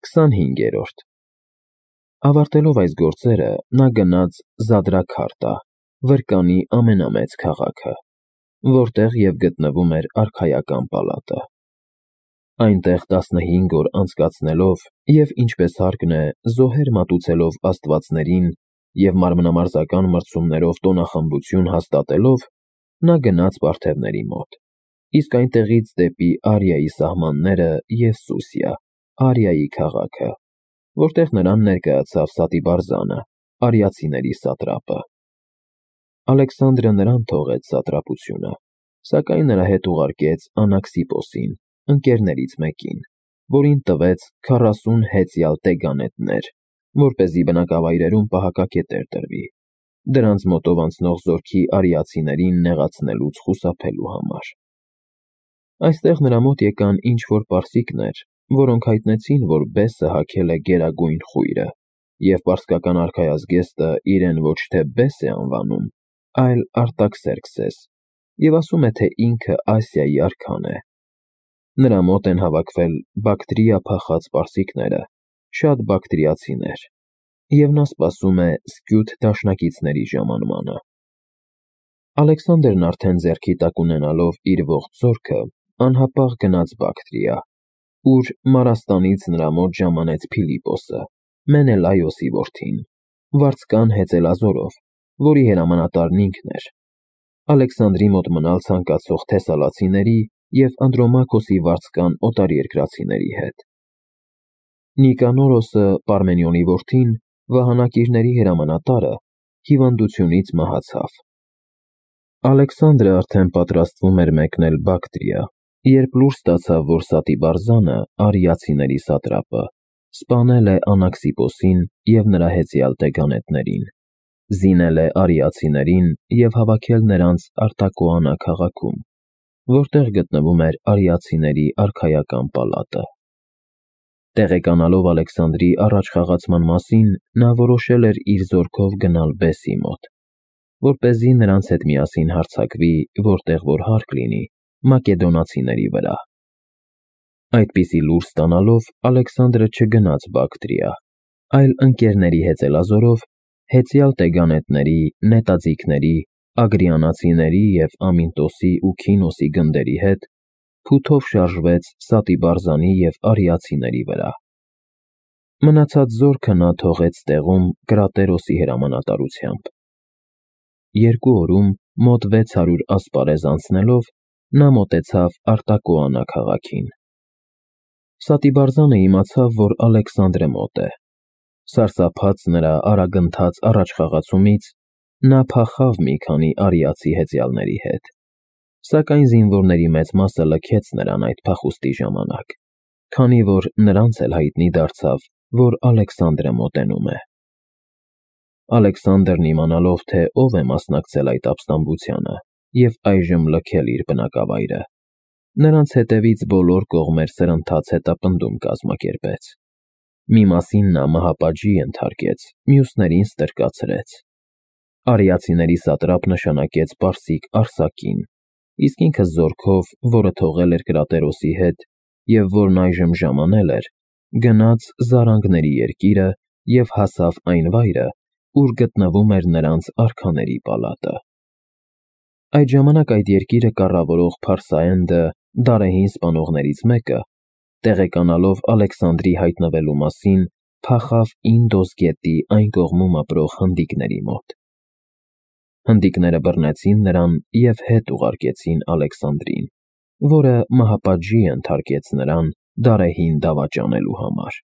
25-րդ Ավարտելով այս գործերը, նա գնաց Զադրաքարտա, Վրկանի ամենամեծ քաղաքը, որտեղ և գտնվում էր արքայական պալատը։ Այնտեղ 15 օր անցկացնելով և, ինչպես հարկն է, զոհեր մատուցելով աստվածներին և մարմնամարզական մրցումներով տոնախմբություն հաստատելով, նա գնաց պարթևների մոտ, իսկ այնտեղից դեպի Արիայի սահմանները և Սուսիա, Արիայի քաղաքը, որտեղ նրան ներկայացավ Սատիբարզանը, արիացիների սատրապը։ Ալեքսանդրը նրան թողեց սատրապությունը, սակայն նրա հետ ուղարկեց Անաքսիպոսին, ընկերներից մեկին, որին տվեց 40 հեծյալ տեգանետներ, որպեսզի բնակավայրերում պահակակետեր տրվի, դրանց մոտով անցնող զորքի արիացիներին նեղացնելուց խուսափելու համար։ Այստեղ նրա մոտ եկան ինչ-որ պարսիկներ, որոնք հայտնեցին, որ բեսը հագել է գերագույն խույրը, և պարսկական արքայազգեստը իրեն ոչ թե բես է անվանում, այլ Արտաքսերքսես, և ասում է, թե ինքը Ասիայի արքան է։ Նրա մոտ են հավաքվել Բակտրիա փախած պարսիկները, շատ բակտրիացիներ, և նա սպասում է Սկյութ դաշնակիցների ժամանմանը։ Ալեքսանդրն արդեն ձեռքի տակ ունենալով իր ողջ զորքը, անհապաղ գնաց Բակտրիա, ուր Մարաստանից նրա մոտ ժամանեց Փիլիպոսը, Մենելայոսի որդին, վարձկան հեծելազորով, որի հրամանատարն ինքն էր, Ալեքսանդրի մոտ մնալ ցանկացող թեսալացիների և Անդրոմակոսի վարձկան օտարերկրացիների հետ։ Նիկանորոսը, Պարմենիոնի որդին, վահանակիրների հրամանատարը, հիվանդությունից մահացավ։ Ալեքսանդրը արդեն պատրաստվում էր մեկնել Բակտրիա, երբ լուր ստացավ, որ Սատիբարզանը, արիացիների սատրապը, սպանել է Անաքսիպոսին և նրա հեծյալ տեգանետներին, զինել է արիացիներին և հավաքել նրանց Արտակոանա քաղաքում, որտեղ գտնվում էր արիացիների արքայական պալատը։ Տեղեկանալով Ալեքսանդրի առաջխաղացման մասին, նա որոշել էր իր զորքով գնալ բեսի մոտ, որպեսզի նրանց հետ միասին հարձակվի, որտեղ որ հարկ լինի, մակեդոնացիների վրա։ Այդպիսի լուր ստանալով, Ալեքսանդրը չգնաց Բակտրիա, այլ ընկերների հեծելազորով, հեծյալ տեգանետների, նետաձիգների, ագրիանացիների և Ամինտոսի ու Քինոսի գնդերի հետ փութով շարժվեց Սատիբարզանի և արիացիների վրա։ Մնացած զորքը նա թողեց տեղում Կրատերոսի հրամանատարությամբ։ 2 օրում, մոտ 600 ասպարեզ անցնելով, նա մոտեցավ Արտակոանա քաղաքին։ Սատիբարզանը իմացավ, որ Ալեքսանդրը մոտ է։ Սարսափած նրա արագընթաց առաջխաղացումից, նա փախավ մի քանի արիացի հեծյալների հետ, սակայն զինվորների մեծ մասը լքեց նրան այդ փախուստի ժամանակ, քանի որ նրանց էլ հայտնի դարձավ, որ Ալեքսանդրը մոտենում է։ Ալեքսանդրն իմանալով, թե ով է մասնակցել այդ ապստամբությանը և այժմ լքել իր բնակավայրը, նրանց հետևից բոլոր կողմեր սրընթաց հետապնդում կազմակերպեց։ Մի մասին նա մահապատժի ենթարկեց, մյուսներին ստրկացրեց։ Արիացիների սատրապ նշանակեց պարսիկ Արսակին, իսկ ինքը զորքով, որը թողել էր Կրատերոսի հետ և որն այժմ ժամանել էր, գնաց Զարանգների երկիրը և հասավ այն վայրը, ուր գտնվում էր նրանց արքաների պալատը։ Այդ ժամանակ այդ երկիրը կառավարող Փարսաենդը, Դարեհին սպանողներից մեկը, տեղեկանալով Ալեքսանդրի հայտնվելու մասին, փախավ Ինդոս գետի այն կողմում ապրող հնդիկների մոտ։ Հնդիկները բռնեցին նրան և հետ ուղարկեցին Ալեքսանդրին, որը մահապատժի ենթարկեց նրան Դարեհին դավաճանելու համար։